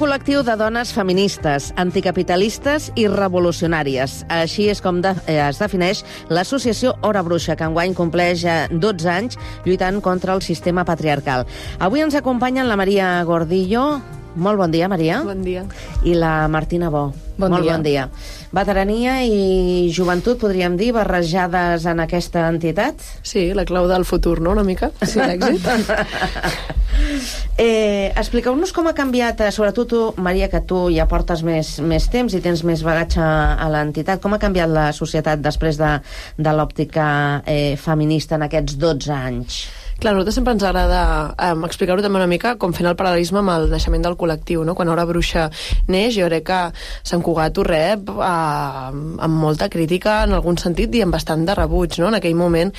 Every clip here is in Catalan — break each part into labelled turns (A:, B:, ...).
A: col·lectiu de dones feministes, anticapitalistes i revolucionàries. Així és com es defineix l'associació Hora Bruixa, que enguany compleix 12 anys lluitant contra el sistema patriarcal. Avui ens acompanyen la Maria Gordillo. Molt bon dia, Maria.
B: Bon dia.
A: I la Martina Bo.
B: Bon dia.
A: Veterania i joventut, podríem dir, barrejades en aquesta entitat?
B: Sí, la clau del futur, no?, una mica, sí, l'èxit.
A: Expliqueu-nos com ha canviat, sobretot tu, Maria, que tu ja portes més temps i tens més bagatge a l'entitat, com ha canviat la societat després de l'òptica feminista en aquests 12 anys?
B: Clar, a nosaltres sempre ens agrada explicar-ho també una mica com fent el paral·lelisme amb el naixement del col·lectiu, no? Quan Hora Bruixa neix, jo crec que Sant Cugat ho rep amb molta crítica en algun sentit i amb bastant de rebuig, no? En aquell moment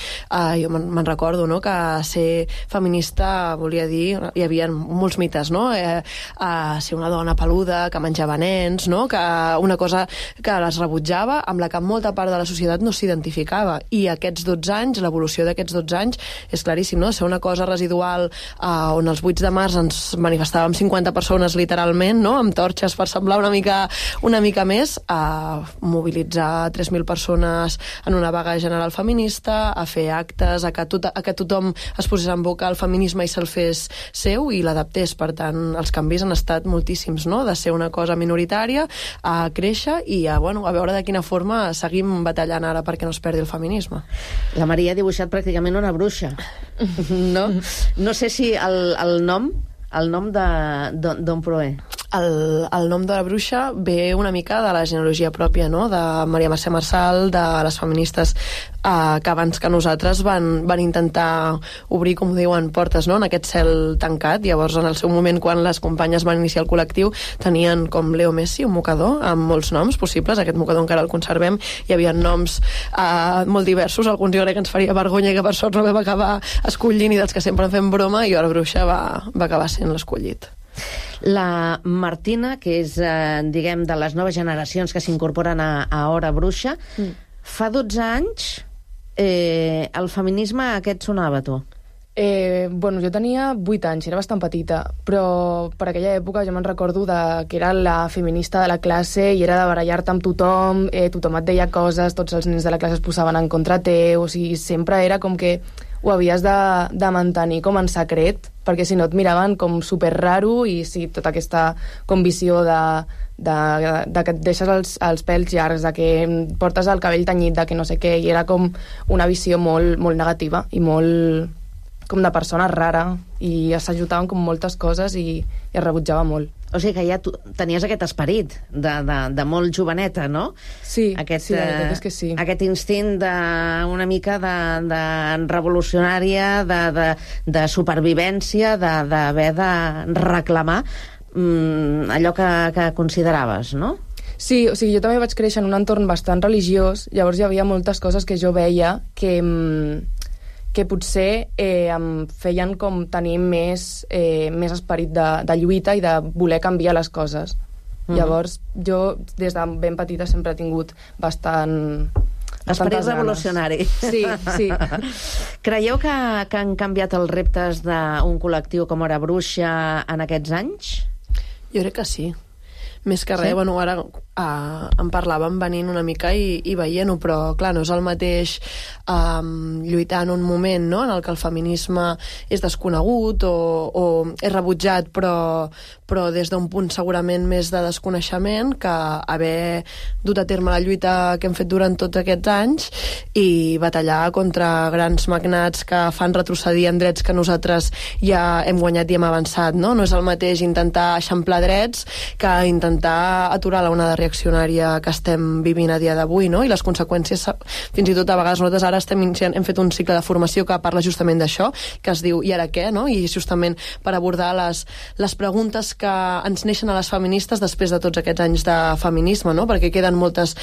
B: jo me'n recordo, no?, que ser feminista volia dir, hi havia molts mites, no? Ser una dona peluda, que menjava nens, no? Que una cosa que les rebutjava, amb la que molta part de la societat no s'identificava. I aquests 12 anys, l'evolució d'aquests 12 anys, és claríssim, no? Ser una cosa residual on els 8 de març ens manifestàvem 50 persones literalment, no?, amb torxes per semblar una mica més, a mobilitzar 3.000 persones en una vaga general feminista, a fer actes, a que tothom es posés en boca el feminisme i se'l fes seu i l'adaptés. Per tant, els canvis han estat moltíssims, no?, de ser una cosa minoritària a créixer i a veure de quina forma seguim batallant ara perquè no es perdi el feminisme.
A: La Maria ha dibuixat pràcticament una bruixa. No? No sé si el nom d'on prové.
B: El nom de la bruixa ve una mica de la genealogia pròpia, no?, de Maria Mercè Marçal, de les feministes que abans que nosaltres van intentar obrir, com diuen, portes, no?, en aquest cel tancat. Llavors, en el seu moment, quan les companyes van iniciar el col·lectiu, tenien com Leo Messi, un mocador, amb molts noms possibles. Aquest mocador encara el conservem. Hi havia noms molt diversos. Alguns jo crec que ens faria vergonya i que per sort no vam acabar escollint i dels que sempre en fem broma, i Hora Bruixa va acabar sent l'escollit.
A: La Martina, que és, diguem, de les noves generacions que s'incorporen a Hora Bruixa, fa 12 anys el feminisme a què et sonava, tu?
C: Jo tenia 8 anys, era bastant petita, però per aquella època jo me'n recordo que era la feminista de la classe i era de barallar-te amb tothom, tothom et deia coses, tots els nens de la classe es posaven en contra teu, o sigui, sempre era com que ho havies de mantenir com en secret, perquè si no et miraven com super raro i sí, tota aquesta com visió de que et deixes els pèls llargs, de que portes el cabell tenyit, de que no sé què, i era com una visió molt, molt negativa i molt com de persona rara, i s'ajudaven com moltes coses i es rebutjava molt.
A: O sigui que ja tu tenies aquest esperit de molt joveneta, no?
C: Sí, la veritat és que sí.
A: Aquest instint una mica de revolucionària, de supervivència, d'haver de reclamar allò que consideraves, no?
C: Sí, o sigui, jo també vaig créixer en un entorn bastant religiós, llavors hi havia moltes coses que jo veia que potser em feien com tenir més esperit de lluita i de voler canviar les coses. Llavors, jo des de ben petita sempre he tingut
A: esperit revolucionari.
C: Sí.
A: Creieu que han canviat els reptes d'un col·lectiu com Hora Bruixa en aquests anys?
B: Jo crec que sí. Més que res, sí? Ara en parlàvem venint una mica i veient-ho, però clar, no és el mateix lluitar en un moment, no?, en el que el feminisme és desconegut o és rebutjat, però des d'un punt segurament més de desconeixement, que haver dut a terme la lluita que hem fet durant tots aquests anys i batallar contra grans magnats que fan retrocedir en drets que nosaltres ja hem guanyat i hem avançat, no? No és el mateix intentar eixamplar drets que intentar aturar l'onada reaccionària que estem vivint a dia d'avui, no? I les conseqüències, fins i tot a vegades nosaltres ara hem fet un cicle de formació que parla justament d'això, que es diu "I ara què?", no? I justament per abordar les preguntes que ens neixen a les feministes després de tots aquests anys de feminisme, no? Perquè queden moltes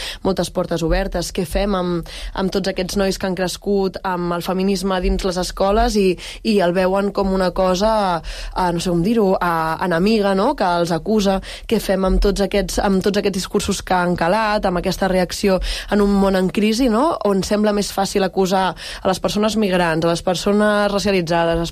B: portes obertes. Què fem amb tots aquests nois que han crescut amb el feminisme dins les escoles i el veuen com una cosa, no sé com dir-ho, enemiga, no?, que els acusa. Què fem amb tots aquests discursos que han calat, amb aquesta reacció en un món en crisi, no? On sembla més fàcil acusar a les persones migrants, a les persones racialitzades, a les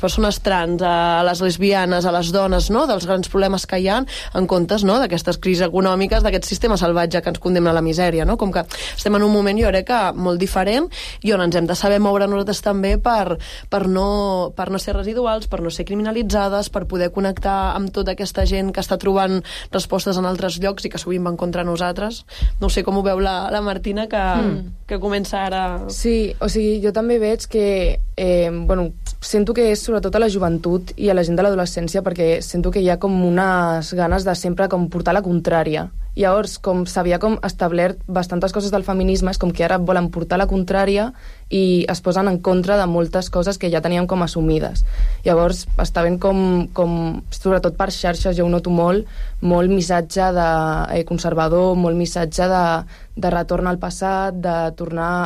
B: persones trans, a les lesbianes, a les dones, no? Dels grans problemes que hi ha, en comptes, no? D'aquestes crisis econòmiques, d'aquest sistema salvatge que ens condemna a la misèria, no? Com que estem en un moment, jo crec que molt diferent, i on ens hem de saber moure nosaltres també per no ser residuals, per no ser criminalitzades, per poder connectar amb tota aquesta gent que està trobant respostes en altres llocs i que sovint van contra nosaltres. No sé com ho veu la Martina, que comença ara...
C: Sí, o sigui, jo també veig que sento que és sobretot a la joventut i a la gent de l'adolescència, perquè sento que hi ha com unes ganes de sempre com portar la contrària. Llavors, com s'havia com establert bastantes coses del feminisme, és com que ara volen portar la contrària i es posen en contra de moltes coses que ja teníem com assumides. Llavors, està ben com sobretot per xarxes, jo ho noto molt missatge de conservador, molt missatge de retorn al passat, de tornar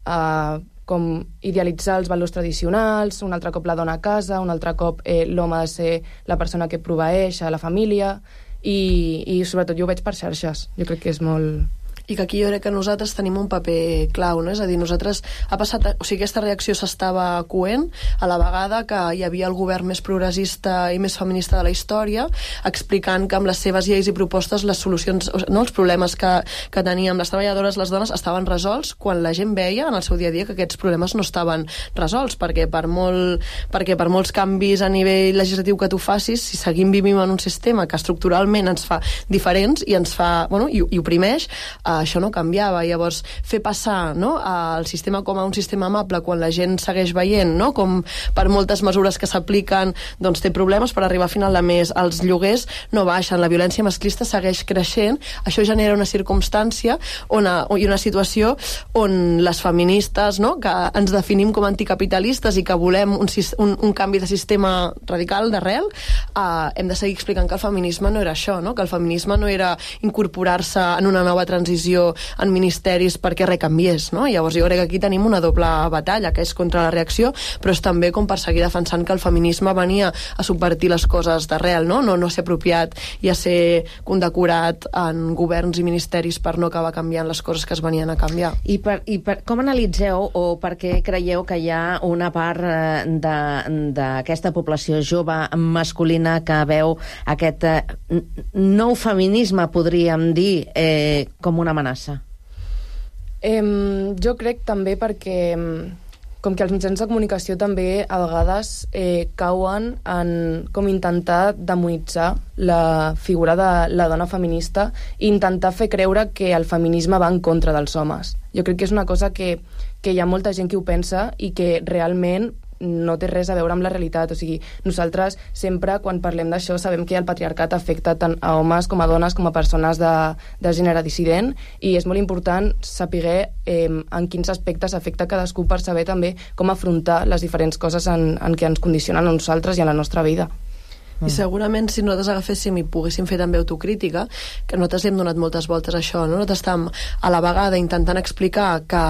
C: a com idealitzar els valors tradicionals, un altre cop la dona a casa, un altre cop l'home ha de ser la persona que proveeix a la família, i sobretot jo ho veig per xarxes. Jo crec que és molt...
B: I que aquí jo crec que nosaltres tenim un paper clau, no? És a dir, nosaltres ha passat... O sigui, aquesta reacció s'estava coent a la vegada que hi havia el govern més progressista i més feminista de la història, explicant que amb les seves lleis i propostes les solucions, no, els problemes que teníem les treballadores, les dones, estaven resolts, quan la gent veia en el seu dia a dia que aquests problemes no estaven resolts, perquè per molts canvis a nivell legislatiu que tu facis, si seguim vivint en un sistema que estructuralment ens fa diferents i ens fa, i oprimeix, això no canviava. Llavors, fer passar, no, el sistema com a un sistema amable quan la gent segueix veient, no, com per moltes mesures que s'apliquen doncs té problemes per arribar a final de mes, els lloguers no baixen, la violència masclista segueix creixent, això genera una circumstància i una situació on les feministes, no, que ens definim com anticapitalistes i que volem un canvi de sistema radical d'arrel, hem de seguir explicant que el feminisme no era això, no, que el feminisme no era incorporar-se en una nova transició en ministeris perquè res canviés, no? Llavors jo crec que aquí tenim una doble batalla, que és contra la reacció, però és també com per seguir defensant que el feminisme venia a subvertir les coses d'arrel, no a ser apropiat i a ser condecorat en governs i ministeris per no acabar canviant les coses que es venien a canviar.
A: I com analitzeu o per què creieu que hi ha una part d'aquesta població jove masculina que veu aquest nou feminisme, podríem dir, com una amenaça?
C: Jo crec també perquè com que els mitjans de comunicació també a vegades cauen en com intentar demonitzar la figura de la dona feminista i intentar fer creure que el feminisme va en contra dels homes. Jo crec que és una cosa que hi ha molta gent que ho pensa i que realment no té res a veure amb la realitat. O sigui, nosaltres sempre, quan parlem d'això, sabem que el patriarcat afecta tant a homes com a dones, com a persones de gènere dissident, i és molt important saber en quins aspectes afecta cadascú per saber també com afrontar les diferents coses en què ens condicionen a nosaltres i a la nostra vida.
B: I segurament si nosaltres agaféssim i poguéssim fer també autocrítica, que nosaltres hem donat moltes voltes a això, no? Nosaltres estem a la vegada intentant explicar que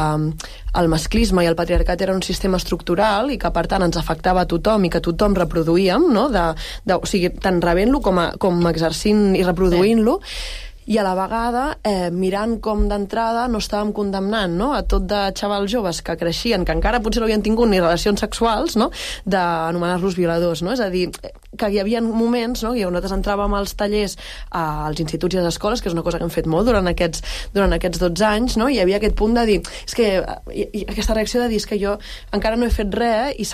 B: el masclisme i el patriarcat era un sistema estructural i que per tant ens afectava a tothom i que tothom reproduïem, no? O sigui, tant rebent-lo com exercint i reproduint-lo, i a la vegada mirant com d'entrada no estàvem condemnant, no, a tot de xavals joves que creixien, que encara potser no havien tingut ni relacions sexuals, no, d'anomenar-los violadors, no? És a dir, que hi havia moments, no, que nosaltres entràvem als tallers als instituts i a les escoles, que és una cosa que hem fet molt durant aquests 12 anys, no? I hi havia aquest punt de dir, és que aquesta reacció de dir, és que jo encara no he fet res i no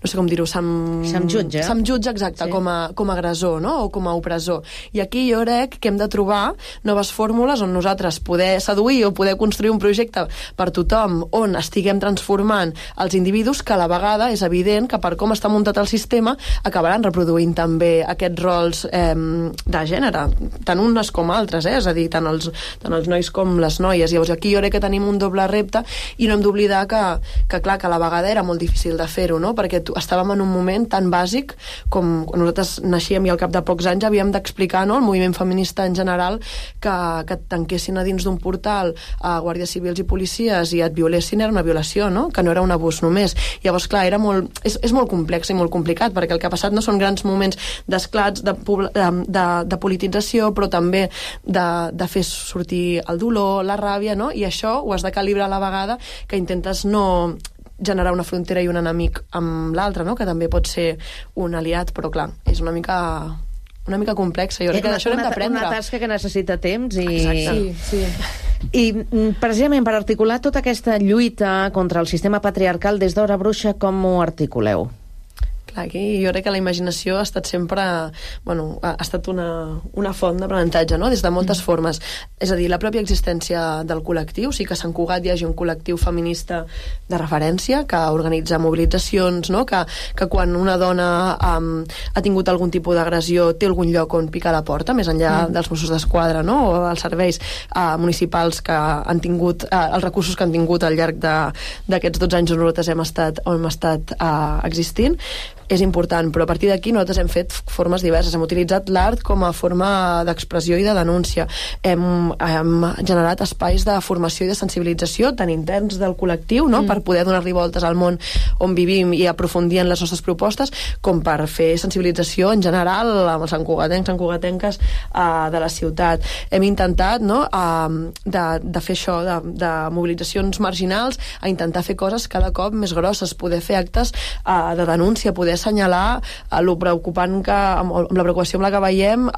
B: sé com dir-ho, se'm
A: jutja.
B: Se'm jutja, exacte, sí, com a agressor, no? O com a opressor. I aquí jo crec que hem de trobar noves fórmules on nosaltres poder seduir o poder construir un projecte per tothom on estiguem transformant els individus, que a la vegada és evident que per com està muntat el sistema acabaran reproduint també aquests rols de gènere, tant unes com altres, és a dir, tant els nois com les noies. Llavors aquí jo crec que tenim un doble repte i no hem d'oblidar que clar, que a la vegada era molt difícil de fer-ho, no? Perquè estàvem en un moment tan bàsic com quan nosaltres naixíem i al cap de pocs anys havíem d'explicar, no, al moviment feminista en general, que et tanquessin a dins d'un portal a guàrdies civils i policies i et violessin era una violació, no? Que no era un abús només. Llavors, clar, és molt complex i molt complicat, perquè el que ha passat no són grans moments d'esclats, de politització, però també de fer sortir el dolor, la ràbia, no? I això ho has de calibrar a la vegada, que intentes no generar una frontera i un enemic amb l'altre, no? Que també pot ser un aliat, però clar, és una mica complexa. Jo crec que d'això hem d'aprendre.
A: Una tasca que necessita temps i...
B: Exacte.
C: Sí.
A: I precisament per articular tota aquesta lluita contra el sistema patriarcal des d'Hora Bruixa, com ho articuleu?
B: Clar, aquí jo crec que la imaginació ha estat sempre... ha estat una font d'aprenentatge, no? Des de moltes formes. És a dir, la pròpia existència del col·lectiu, sí que a Sant Cugat hi hagi un col·lectiu feminista de referència que organitza mobilitzacions, no? Que quan una dona ha tingut algun tipus d'agressió té algun lloc on picar la porta, més enllà dels Mossos d'Esquadra, no? O els serveis municipals que han tingut, els recursos que han tingut al llarg d'aquests 12 anys on nosaltres hem estat existint. És important, però a partir d'aquí nosaltres hem fet formes diverses, hem utilitzat l'art com a forma d'expressió i de denúncia, hem generat espais de formació i de sensibilització tant interns del col·lectiu, no? Per poder donar-li voltes al món on vivim i aprofundir en les nostres propostes, com per fer sensibilització en general amb els santcugatenques de la ciutat. Hem intentat, no? de fer això, de mobilitzacions marginals, a intentar fer coses cada cop més grosses, poder fer actes de denúncia, poder assenyalar lo preocupant amb la preocupació amb la que veiem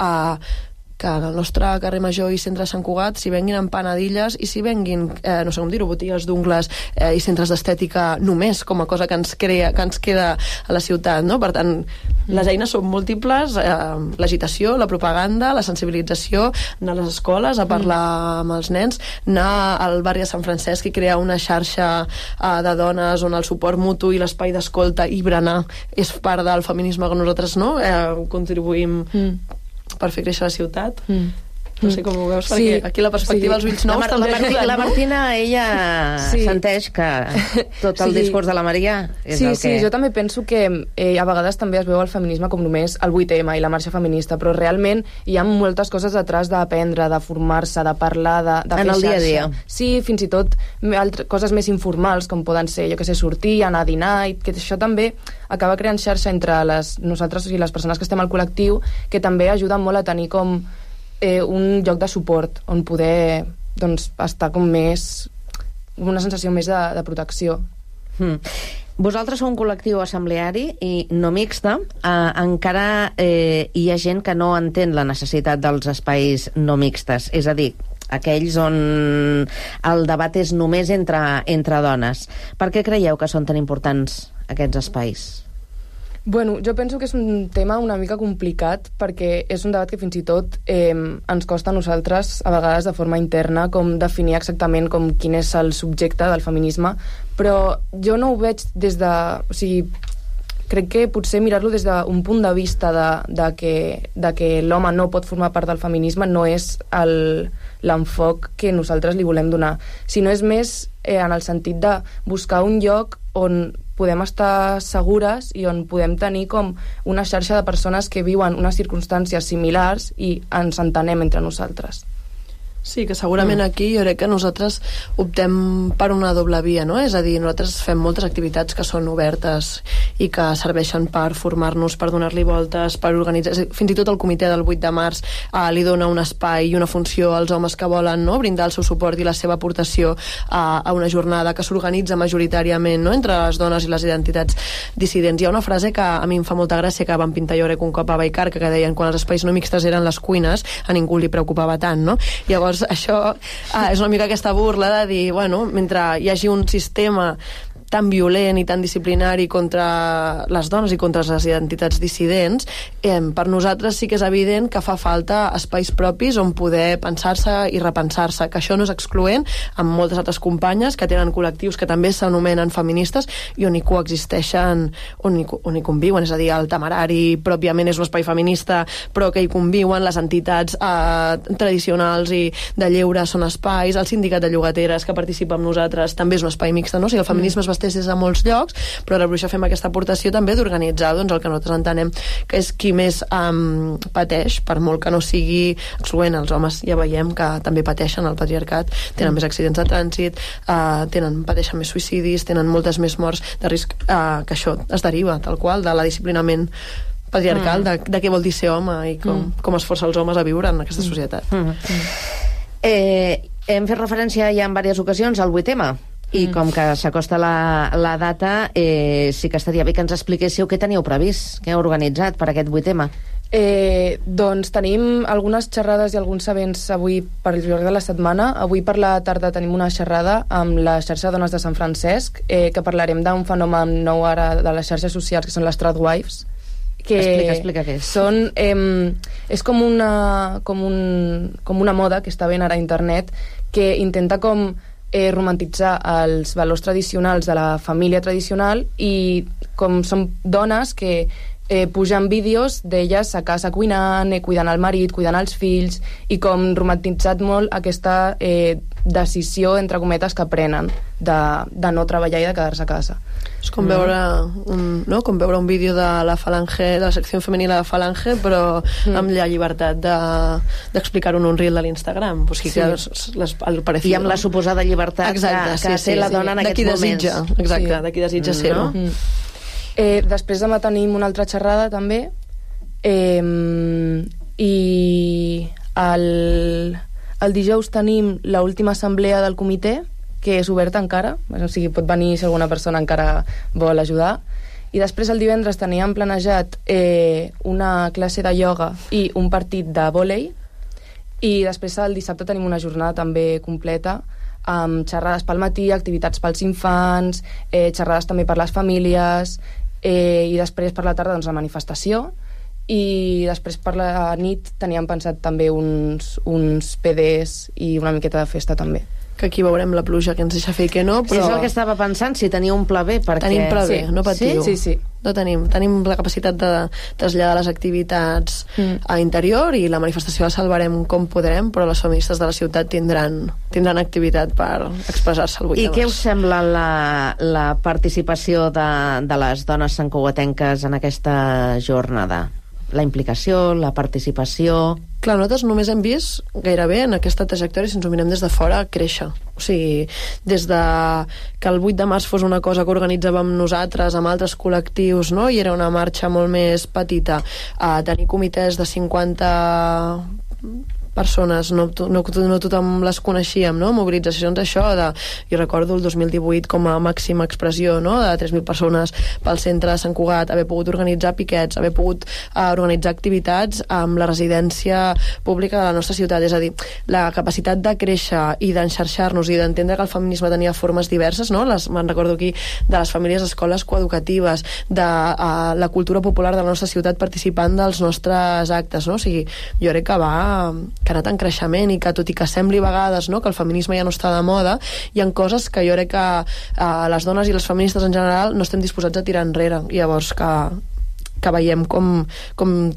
B: que al nostre carrer Major i centre de Sant Cugat s'hi venguin empanadilles i s'hi venguin, no sé com dir-ho, botigues d'ungles i centres d'estètica només com a cosa que ens queda a la ciutat, no? Per tant, les eines són múltiples, l'agitació, la propaganda, la sensibilització, anar a les escoles a parlar amb els nens, anar al barri de Sant Francesc i crear una xarxa de dones on el suport mutu i l'espai d'escolta i berenar és part del feminisme que nosaltres contribuïm per fer créixer la ciutat. No sé com ho veus, perquè aquí la perspectiva dels ulls nous també ajuda,
A: la Martina, ella senteix que tot el discurs de la Maria és el que...
C: Sí, jo també penso que a vegades també es veu el feminisme com només el 8M i la marxa feminista, però realment hi ha moltes coses detrás d'aprendre, de formar-se, de parlar, de fer
A: en el dia a dia.
C: Sí, fins i tot coses més informals, com poden ser, jo que sé, sortir, anar a dinar, i que això també acaba creant xarxa entre nosaltres i les persones que estem al col·lectiu, que també ajuden molt a tenir com un lloc de suport on poder estar com més una sensació més de protecció.
A: Vosaltres sou un col·lectiu assembleari i no mixta. Encara hi ha gent que no entén la necessitat dels espais no mixtes, és a dir, aquells on el debat és només entre dones. Per què creieu que són tan importants aquests espais?
C: Bueno, jo penso que és un tema una mica complicat perquè és un debat que fins i tot ens costa a nosaltres a vegades de forma interna com definir exactament com quin és el subjecte del feminisme, però jo no ho veig des de... O sigui, crec que potser mirar-lo des d'un punt de vista de que l'home no pot formar part del feminisme no és l'enfoc que nosaltres li volem donar, sinó és més en el sentit de buscar un lloc on podem estar segures i on podem tenir com una xarxa de persones que viuen unes circumstàncies similars i ens entenem entre nosaltres.
B: Sí, que segurament aquí jo crec que nosaltres optem per una doble via, no? És a dir, nosaltres fem moltes activitats que són obertes i que serveixen per formar-nos, per donar-li voltes, per organitzar... Fins i tot el comitè del 8 de març li dona un espai i una funció als homes que volen, no?, brindar el seu suport i la seva aportació a una jornada que s'organitza majoritàriament, no?, entre les dones i les identitats dissidents. Hi ha una frase que a mi em fa molta gràcia que van pintar jo crec un cop a Vallcarca, que deien quan els espais no mixtes eren les cuines a ningú li preocupava tant, no? Llavors això és una mica aquesta burla de dir, bueno, mentre hi hagi un sistema tan violent i tan disciplinari contra les dones i contra les identitats dissidents, per nosaltres sí que és evident que fa falta espais propis on poder pensar-se i repensar-se, que això no és excloent amb moltes altres companyes que tenen col·lectius que també s'anomenen feministes i on hi coexisteixen, on hi conviuen, és a dir, el Temerari pròpiament és un espai feminista però que hi conviuen, les entitats tradicionals i de lleure són espais, el sindicat de llogateres que participa amb nosaltres també és un espai mixte, no? O sigui, el feminisme es basteix màsters des de molts llocs, però a la Bruixa fem aquesta aportació també d'organitzar el que nosaltres entenem que és qui més pateix, per molt que no sigui excloent. Els homes ja veiem que també pateixen el patriarcat, tenen més accidents de trànsit, pateixen més suïcidis, tenen moltes més morts de risc, que això es deriva tal qual de la disciplinament patriarcal, de què vol dir ser home i com es força els homes a viure en aquesta societat.
A: Hem fet referència ja en diverses ocasions al 8M, i com que s'acosta la data, sí que estaria bé que ens expliquéssiu què teníeu previst, què heu organitzat per aquest 8M.
C: Doncs tenim algunes xerrades i alguns events avui per el llarg de la setmana. Avui per la tarda tenim una xerrada amb la xarxa de dones de Sant Francesc, que parlarem d'un fenomen nou ara de les xarxes socials, que són les tradwives, que
A: explica què és.
C: És com una moda que està ben ara a internet, que intenta com romantitzar els valors tradicionals de la família tradicional, i com són dones que pujan vídeos d'elles a casa cuinant, cuidant el marit, cuidant els fills, i com romantitzat molt aquesta decisió, entre cometes, que prenen de no treballar i de quedar-se a casa.
B: És com veure un vídeo de la Falange, de la secció femenina de Falange, però amb la llibertat d'explicar-ho en un reel de l'Instagram. O sigui,
A: I amb la suposada llibertat que té la dona en aquests moments.
B: Exacte, de qui desitja ser-ho.
C: Després demà tenim una altra xerrada també, i el dijous tenim l'última assemblea del comitè, que és oberta encara, o sigui, pot venir si alguna persona encara vol ajudar. I després el divendres teníem planejat una classe de ioga i un partit de vòlei, i després el dissabte tenim una jornada també completa amb xerrades pel matí, activitats pels infants, xerrades també per les famílies, i després per la tarda doncs, la manifestació, i després per la nit teníem pensat també uns PDs i una miqueta de festa també.
B: Que aquí veurem la pluja que ens deixa fer i que no, però...
A: Sí, és el que estava pensant, si teniu un pla B, perquè...
B: Tenim pla B, no patiu.
C: Sí.
B: No tenim la capacitat de traslladar les activitats a interior, i la manifestació la salvarem com podrem, però les feministes de la ciutat tindran activitat per expressar-se el 8 de març.
A: I què us sembla la participació de les dones santcugatenques en aquesta jornada? La implicació, la participació...
B: Clar, nosaltres només hem vist gairebé en aquesta trajectòria, si ens ho mirem des de fora, créixer. O sigui, des de que el 8 de març fos una cosa que organitzàvem nosaltres amb altres col·lectius, no? I era una marxa molt més petita, a tenir comitès de 50 persones, no tothom les coneixíem, no? Mobilitzacions d'això, jo recordo el 2018 com a màxima expressió, no? De 3.000 persones pel centre de Sant Cugat, haver pogut organitzar piquets, haver pogut organitzar activitats amb la residència pública de la nostra ciutat. És a dir, la capacitat de créixer i d'enxarxar-nos i d'entendre que el feminisme tenia formes diverses, no? Me'n recordo aquí de les famílies escoles coeducatives, de la cultura popular de la nostra ciutat participant dels nostres actes, no? O sigui, jo crec que ha anat en creixement, i que tot i que sembli a vegades, no, que el feminisme ja no està de moda, hi ha coses que jo crec que les dones i les feministes en general no estem disposats a tirar enrere, i llavors que veiem com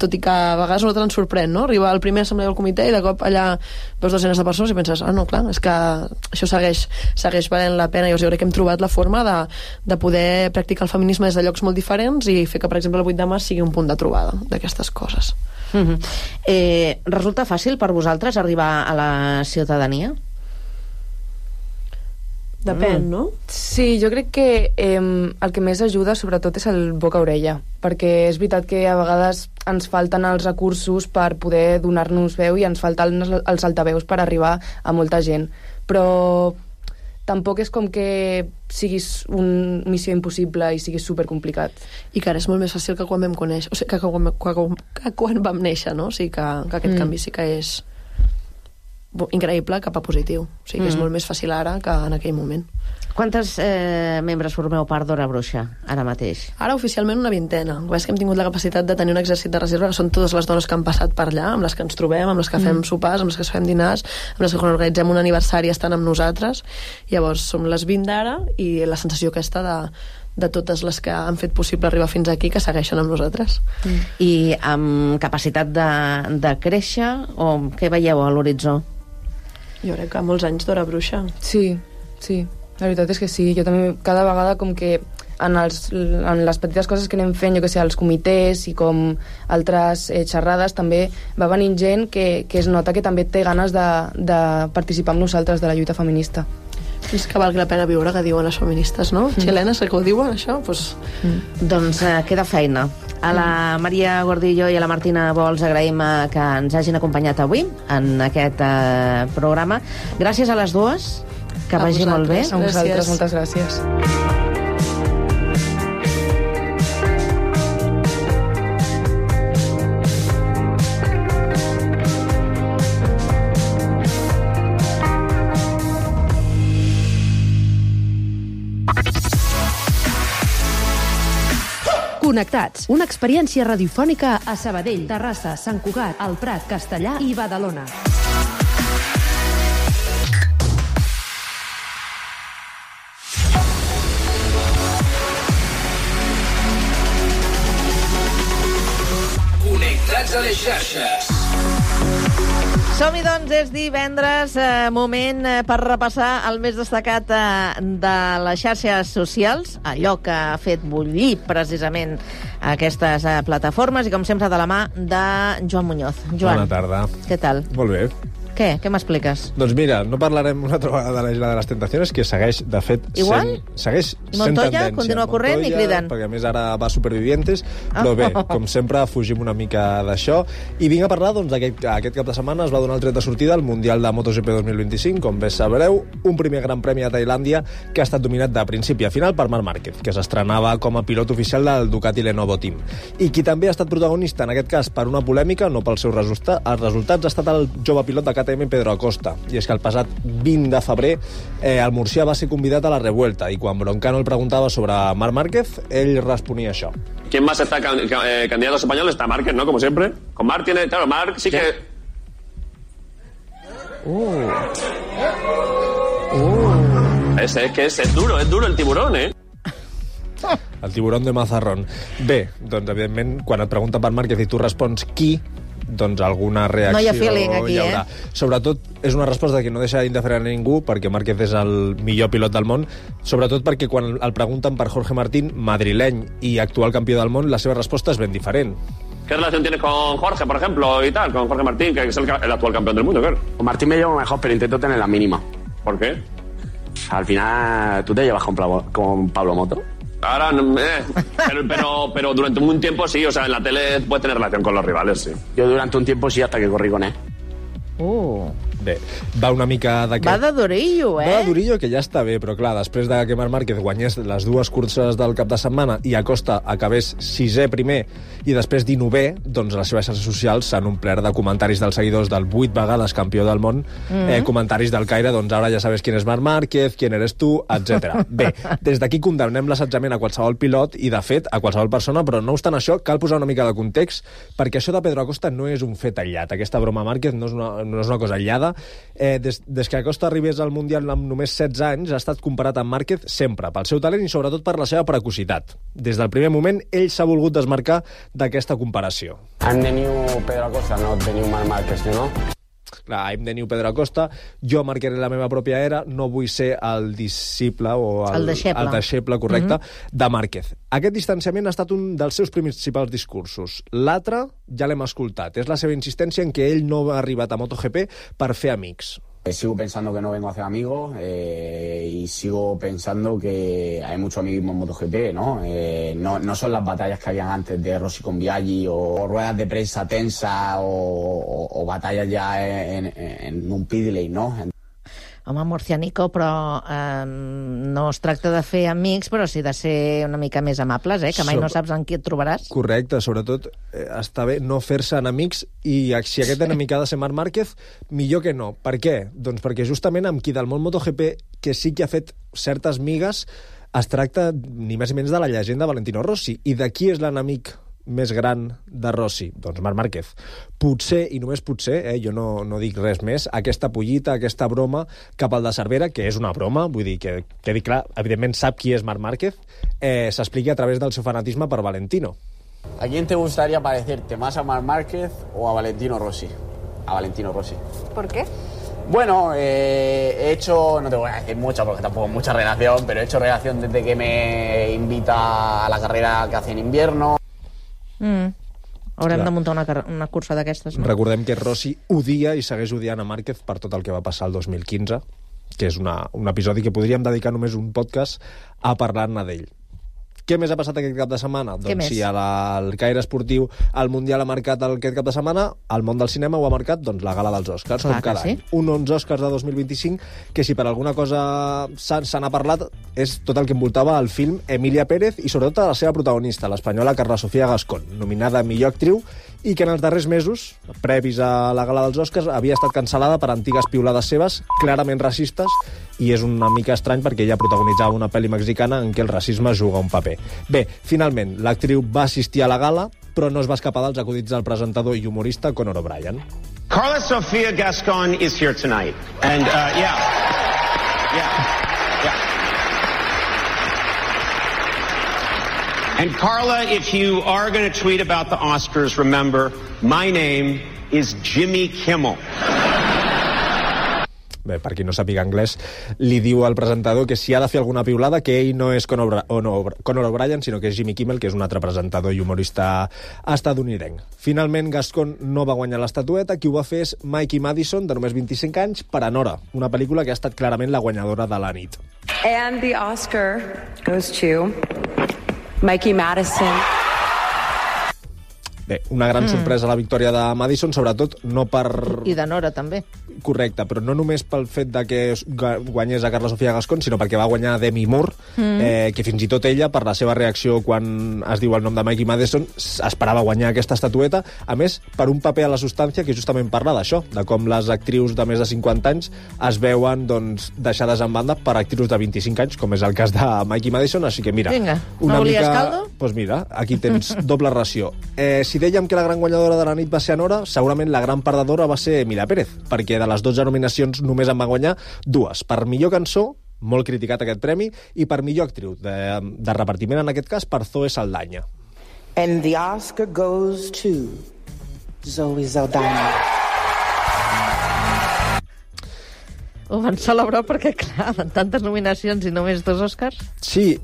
B: tot i que a vegades no ens sorprèn, no? Arriba al primer assemblea del comitè i de cop allà veus dosenes de persones i penses, no, clar, és que això segueix valent la pena. Jo crec que hem trobat la forma de poder practicar el feminisme des de llocs molt diferents i fer que, per exemple, el 8 de març sigui un punt de trobada d'aquestes coses.
A: Resulta fàcil per vosaltres arribar a la ciutadania?
B: Depèn, no?
C: Sí, jo crec que el que més ajuda sobretot és el boca-orella, perquè és veritat que a vegades ens falten els recursos per poder donar-nos veu i ens falten els altaveus per arribar a molta gent, però tampoc és com que siguis una missió impossible i siguis supercomplicat.
B: I que ara és molt més fàcil que quan vam conèixer, o sigui, que quan vam néixer, no? O sigui, que aquest canvi sí que és increïble cap a positiu. O sigui, que és molt més fàcil ara que en aquell moment.
A: Quantes membres formeu part d'Hora Bruixa ara mateix?
B: Ara oficialment una vintena. És que hem tingut la capacitat de tenir un exèrcit de reserva, que són totes les dones que han passat per allà, amb les que ens trobem, amb les que fem sopars, amb les que fem dinars, amb les que quan organitzem un aniversari estan amb nosaltres. Llavors som les 20 d'ara, i la sensació aquesta de totes les que han fet possible arribar fins aquí, que segueixen amb nosaltres.
A: I amb capacitat de créixer, o què veieu a l'horitzó?
B: Jo crec que molts anys d'Hora Bruixa.
C: Sí. La veritat és que sí, jo també cada vegada com que en les petites coses que anem fent, jo que sé, els comitès i com altres xerrades, també va venint gent que es nota que també té ganes de participar amb nosaltres de la lluita feminista.
B: És que valgui la pena viure, que diuen les feministes, no? Xilenes, que ho diuen, això? Pues...
A: Doncs queda feina. A la Maria Gordillo i a la Martina Bols agraïm que ens hagin acompanyat avui en aquest programa. Gràcies a les dues, que vagi molt bé.
C: A vosaltres, moltes gràcies.
D: Connectats, una experiència radiofònica a Sabadell, Terrassa, Sant Cugat, El Prat, Castellar i Badalona.
E: Connectats a les xarxes.
A: Som-hi, doncs, és divendres, moment per repassar el més destacat de les xarxes socials, allò que ha fet bullir precisament aquestes plataformes, i com sempre de la mà de Joan Muñoz. Joan,
F: bona tarda.
A: Què tal?
F: Molt bé.
A: Què m'expliques?
F: Doncs mira, no parlarem una altra vegada de la Isla de les Tentaciones, que segueix, de fet, segueix sent
A: Montoya
F: tendència.
A: continua corrent i cridant.
F: Perquè a més ara va Supervivientes, però bé, com sempre, fugim una mica d'això. I vinc a parlar, doncs, aquest cap de setmana es va donar el tret de sortida al Mundial de MotoGP 2025, com bé sabreu, un primer gran premi a Tailàndia que ha estat dominat de principi a final per Marc Márquez, que s'estrenava com a pilot oficial del Ducati Lenovo Team. I qui també ha estat protagonista, en aquest cas, per una polèmica, no pels seus resultats, ha estat el jove pilot de KTM, Pedro Acosta. I és que el passat 20 de febrer el murcià va ser convidat a la Revuelta, i quan Broncano el preguntava sobre Marc Márquez, ell responia això.
G: ¿Quién más está candidatos españoles? Está Márquez, ¿no? Como siempre. Con Marc tiene... Claro, Marc sí que... Es que es duro el tiburón, ¿eh?
F: El tiburón de Mazarrón. Bé, doncs, evidentment, quan et pregunten per Márquez i tu respons qui, doncs alguna reacció
A: no hi ha feeling aquí,
F: hi haurà. Sobretot, és una resposta que no deixa indiferent a ningú, perquè Márquez és el millor pilot del món, sobretot perquè quan el pregunten per Jorge Martín, madrileny i actual campió del món, la seva resposta és ben diferent.
G: ¿Qué relación tienes con Jorge, por ejemplo, y tal? Con Jorge Martín, que es el actual campeón del mundo, claro.
H: Con Martín me llevo mejor, pero intento tener la mínima.
G: ¿Por qué?
H: Al final, ¿tú te llevas con Pablo Moto?
G: Ahora, pero durante un tiempo sí, o sea, en la tele puedes tener relación con los rivales, sí.
H: Yo durante un tiempo sí, hasta que corrí con él.
F: Bé, va una mica d'aquest...
A: Va de durillo,
F: Va de durillo, que ja està bé, però clar, després de que Marc Márquez guanyés les dues curses del cap de setmana i Acosta acabés 6è primer i després 19è, doncs les seves xarxes socials s'han omplert de comentaris dels seguidors del 8 vegades campió del món, comentaris del caire, doncs ara ja sabes quién es Marc Márquez, quién eres tu, etc. Bé, des d'aquí condemnem l'assetjament a qualsevol pilot i, de fet, a qualsevol persona, però no obstant això, cal posar una mica de context, perquè això de Pedro Acosta no és un fet aïllat. Aquesta broma a Márquez no és una cosa aïllada. Des que Acosta arribés al Mundial amb només 16 anys, ha estat comparat amb Márquez sempre, pel seu talent i sobretot per la seva precocitat. Des del primer moment, ell s'ha volgut desmarcar d'aquesta comparació.
H: I'm the new Pedro Acosta, not the new Marc Márquez, no?
F: Clar, I'm the new Pedro Acosta, jo marcaré la meva pròpia era, no vull ser el disciple o el deixeble, correcte, de Márquez. Aquest distanciament ha estat un dels seus principals discursos. L'altre ja l'hem escoltat, és la seva insistència en que ell no ha arribat a MotoGP per fer amics.
H: Sigo pensando que no vengo a hacer amigos y sigo pensando que hay mucho amiguismo en MotoGP, ¿no? No son las batallas que habían antes de Rossi con Biaggi o ruedas de prensa tensas o batallas ya en un pit lane, ¿no?
A: Home, Murcianico, però no es tracta de fer amics, però sí de ser una mica més amables, que mai no saps en qui et trobaràs.
F: Correcte, sobretot està bé no fer-se enemics, i si aquest enemic ha de ser Marc Márquez, millor que no. Per què? Doncs perquè justament amb qui del món MotoGP, que sí que ha fet certes migues, es tracta ni més ni menys de la llegenda Valentino Rossi. I de qui és l'enemic més gran de Rossi? Doncs Marc Márquez. Potser, i només potser, jo no dic res més, aquesta pollita, aquesta broma cap al de Cervera, que és una broma, vull dir que quedi clar, evidentment sap qui és Marc Márquez, s'expliqui a través del seu fanatisme per Valentino.
H: ¿A quién te gustaría parecerte? ¿Más a Marc Márquez o a Valentino Rossi? A Valentino Rossi.
I: ¿Por qué?
H: Bueno, he hecho, no te voy a decir mucho porque tampoco es mucha relación, pero he hecho relación desde que me invita a la carrera que hace en invierno.
A: Haurem de muntar una cursa d'aquestes. No?
F: Recordem que Rossi odia i segueix odiant a Márquez per tot el que va passar el 2015, que és un episodi que podríem dedicar només un podcast a parlar-ne d'ell. Què més ha passat aquest cap de setmana? Doncs si al Caire Esportiu el Mundial ha marcat aquest cap de setmana, el món del cinema ho ha marcat la gala dels Oscars, com cada any. Uns Oscars de 2025 que si per alguna cosa se n'ha parlat és tot el que envoltava el film Emilia Pérez i sobretot la seva protagonista, l'espanyola Carla Sofía Gascón, nominada a millor actriu i que en els darrers mesos, previs a la gala dels Oscars, havia estat cancel·lada per antigues piulades seves, clarament racistes, i és una mica estrany perquè ella protagonitzava una pel·li mexicana en què el racisme juga un paper. Bé, finalment, l'actriu va assistir a la gala, però no es va escapar dels acudits del presentador i humorista Conor O'Brien.
I: Carla Sofía Gascón is here tonight. And, yeah. And Carla, if you are going to tweet about the Oscars, remember, my name is Jimmy Kimmel.
F: Bé, per qui no sàpiga anglès, li diu al presentador que si ha de fer alguna piulada, que ell no és Conor O'Brien, sinó que és Jimmy Kimmel, que és un altre presentador i humorista estadounidenc. Finalment, Gascón no va guanyar l'estatueta, qui ho va fer és Mikey Madison, de només 25 anys, per Anora, una pel·lícula que ha estat clarament la guanyadora de la nit.
J: And the Oscar goes to Mikey Madison.
F: Bé, una gran sorpresa la victòria de Madison, sobretot no per...
A: I de Nora, també.
F: Correcte, però no només pel fet de que guanyés a Carla Sofía Gascón, sinó perquè va guanyar Demi Moore, que fins i tot ella, per la seva reacció quan es diu el nom de Mikey Madison, esperava guanyar aquesta estatueta, a més, per un paper a la substància que justament parla d'això, de com les actrius de més de 50 anys es veuen deixades en banda per actrius de 25 anys, com és el cas de Mikey Madison, així que mira...
A: Vinga, no volies caldo?
F: Doncs mira, aquí tens doble ració. Si dèiem que la gran guanyadora de la nit va ser Anora, segurament la gran perdedora va ser Emilia Pérez, perquè de les 12 nominacions només en va guanyar 2. Per millor cançó, molt criticat aquest premi, i per millor actriu, de repartiment en aquest cas, per Zoe Saldana.
J: And the Oscar goes to Zoe Saldana.
A: Ho van celebrar perquè, clar, amb tantes nominacions i només 2 Oscars.
F: Sí,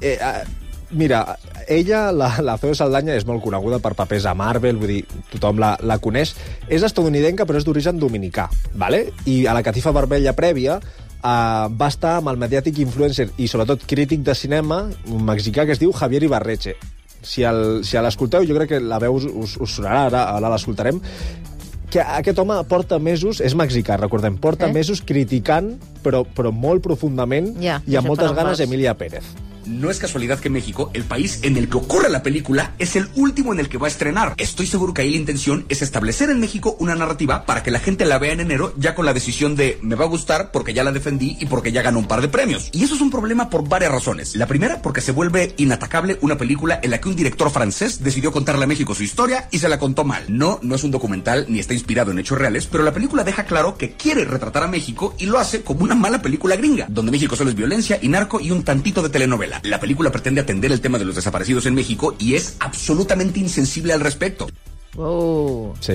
F: mira, ella, la Zoe Saldana, és molt coneguda per papers a Marvel, vull dir, tothom la coneix. És estadounidenca, però és d'origen dominicà, ¿vale? I a la catifa vermella prèvia va estar amb el mediàtic influencer i sobretot crític de cinema, un mexicà que es diu Javier Ibarreche. Si l'escolteu, jo crec que la veu us sonarà, ara l'escoltarem, que aquest home porta mesos, és mexicà, recordem, porta mesos criticant, però molt profundament i amb moltes ganes, Emilia Pérez.
K: No es casualidad que México, el país en el que ocurre la película, es el último en el que va a estrenar. Estoy seguro que ahí la intención es establecer en México una narrativa para que la gente la vea en enero ya con la decisión de me va a gustar porque ya la defendí y porque ya ganó un par de premios. Y eso es un problema por varias razones. La primera, porque se vuelve inatacable una película en la que un director francés decidió contarle a México su historia y se la contó mal. No es un documental ni está inspirado en hechos reales, pero la película deja claro que quiere retratar a México y lo hace como una mala película gringa, donde México solo es violencia y narco y un tantito de telenovela. La película pretende atender el tema de los desaparecidos en México y es absolutamente insensible al respecto.
F: Sí,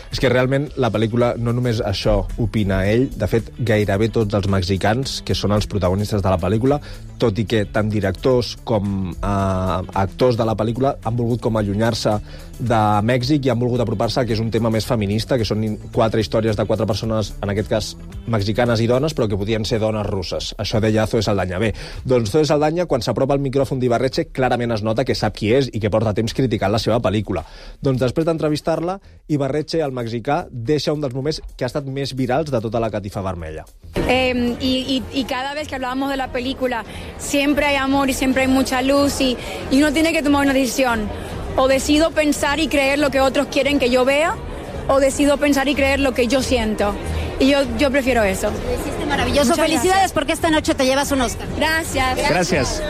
F: és que realment la pel·lícula no només això opina ell, de fet gairebé tots els mexicans que són els protagonistes de la pel·lícula, tot i que tant directors com actors de la pel·lícula han volgut com allunyar-se de Mèxic i han volgut apropar-se que és un tema més feminista, que són 4 històries de 4 persones, en aquest cas mexicanes i dones, però que podien ser dones russes. Això deia Zoe Saldana. Bé, doncs Zoe Saldana, quan s'apropa al micròfon d'Ibarreche, clarament es nota que sap qui és i que porta temps criticant la seva pel·lícula. Doncs després d'entrevistar-la, Ibarreche, el mexicà, deixa un dels moments que ha estat més virals de tota la catifa vermella.
L: Y cada vez que hablábamos de la película, siempre hay amor y siempre hay mucha luz y uno tiene que tomar una decisión. O decido pensar y creer lo que otros quieren que yo vea, o decido pensar y creer lo que yo siento. Y yo prefiero eso.
M: Lo hiciste maravilloso. Muchas felicidades gracias. Porque esta noche te llevas un Oscar.
L: Gracias.
N: Gracias.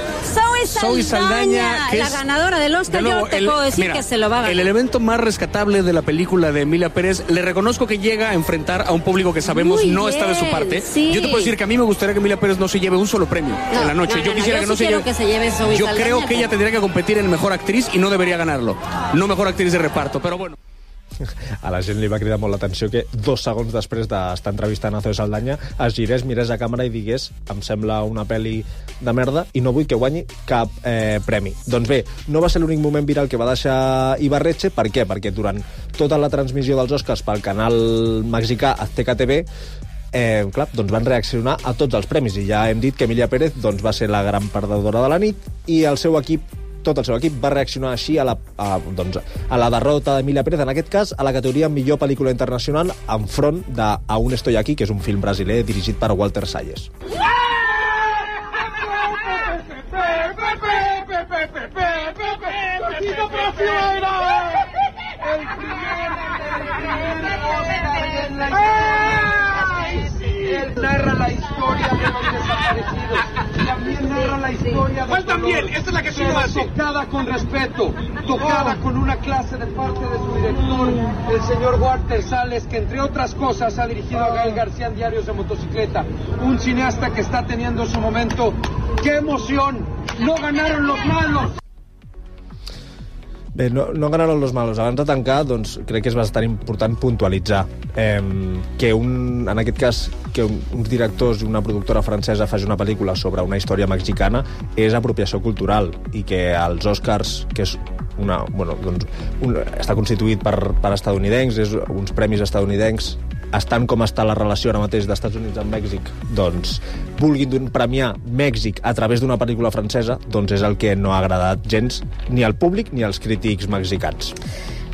M: Zoe Saldana, que la ganadora del Oscar, yo te puedo decir que se lo va a ganar.
N: El elemento más rescatable de la película de Emilia Pérez, le reconozco que llega a enfrentar a un público que sabemos no está de su parte. Sí. Yo te puedo decir que a mí me gustaría que Emilia Pérez no se lleve un solo premio en la noche. Yo quisiera que no se lleve. Yo creo que ella tendría que competir en Mejor Actriz y no debería ganarlo. No Mejor Actriz de Reparto, pero bueno.
F: A la gent li va cridar molt l'atenció que 2 segons després d'estar entrevistant a Zoe Saldana es girés, mirés a càmera i digués em sembla una pel·li de merda i no vull que guanyi cap premi. Doncs bé, no va ser l'únic moment viral que va deixar Ibarretxe. Per què? Perquè durant tota la transmissió dels Oscars pel canal mexicà Azteca TV doncs van reaccionar a tots els premis i ja hem dit que Emilia Pérez doncs, va ser la gran perdedora de la nit i el seu equip, tot el seu equip va reaccionar així a la derrota d'Emilia Pérez, en aquest cas a la categoria millor pel·lícula internacional enfront de Aún estoy aquí, que és un film brasiler dirigit per Walter Salles.
O: Narra la historia de los desaparecidos. También narra la historia de...
I: ¿Cuál también? Esta es la que sí lo hace.
O: Tocada con respeto, tocada con una clase de parte de su director, el señor Walter Salles, que entre otras cosas ha dirigido a Gael García en Diarios de Motocicleta. Un cineasta que está teniendo su momento. ¡Qué emoción! ¡No ganaron los malos!
F: Bé, no ganaron los malos. Abans de tancar, doncs, crec que és bastant important puntualitzar que en aquest cas, que uns directors i una productora francesa faci una pel·lícula sobre una història mexicana és apropiació cultural i que els Oscars, que és està constituït per estadounidencs, és uns premis estadounidencs, estant com està la relació ara mateix d'Estats Units amb Mèxic, doncs vulguin premiar Mèxic a través d'una pel·lícula francesa, doncs és el que no ha agradat gens ni al públic ni als crítics mexicans.